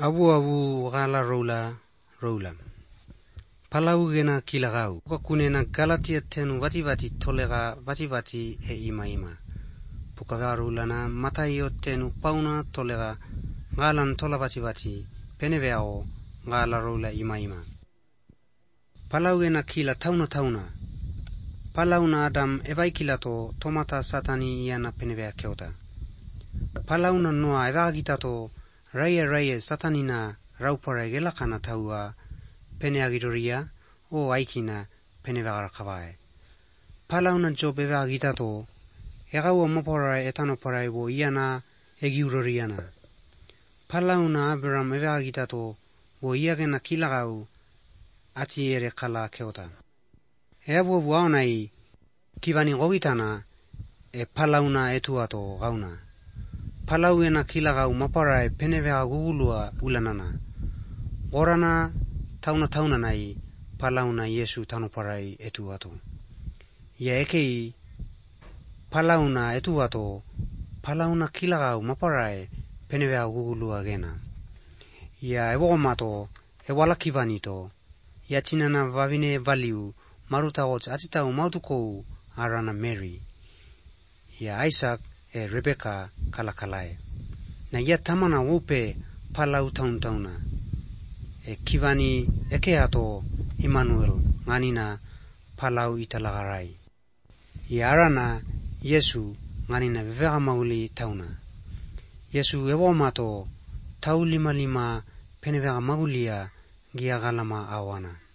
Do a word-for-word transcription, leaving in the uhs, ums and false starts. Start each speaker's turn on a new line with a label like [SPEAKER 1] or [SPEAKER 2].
[SPEAKER 1] Abu abu gala rola rola. Palau gena kilagau. Kakunena Galatia tenu vati vati tolega vati vati e ima ima. Pukagaru lana Mataio tenu pauna tolega galan tola vati vati peneveao gala rola ima ima. Palau gena kila tauna tauna. Palau na Adam evai kilato tomata satani iana penevea keota. Palau na noa evagitato Raya raya satanina raupare gela kana taua peneagidoria o aikina penevagara kavae. Palauna job evagitato egaua mopora etano parai wo iana egiuroriana. Palauna Abraham evagitato wo iagena kilagau ati ere kala keota. Eabu buaonai kivani gogitana e palauna etuato gauna. Palau ena kilagau maparai penevea gugulua ulanana. Orana tauna tauna nai palauna Yesu tanoparai etuato. Ia ekei palauna etuato palauna kilagau maparai penevea gugulua gena. Ia ewogomato ewala kivanito. Ia tinana vavine valiu marutagot atitau mautukou arana Mary. Ia Isaac e Rebecca kalakalae. Na ia tamana wope palau taun tauna. E kivani eke ato Emmanuel nganina palau italagarai. Ia arana Yesu nganina vevega mauli tauna. Yesu ewo mato tau lima lima penevega maulia gia galama awana.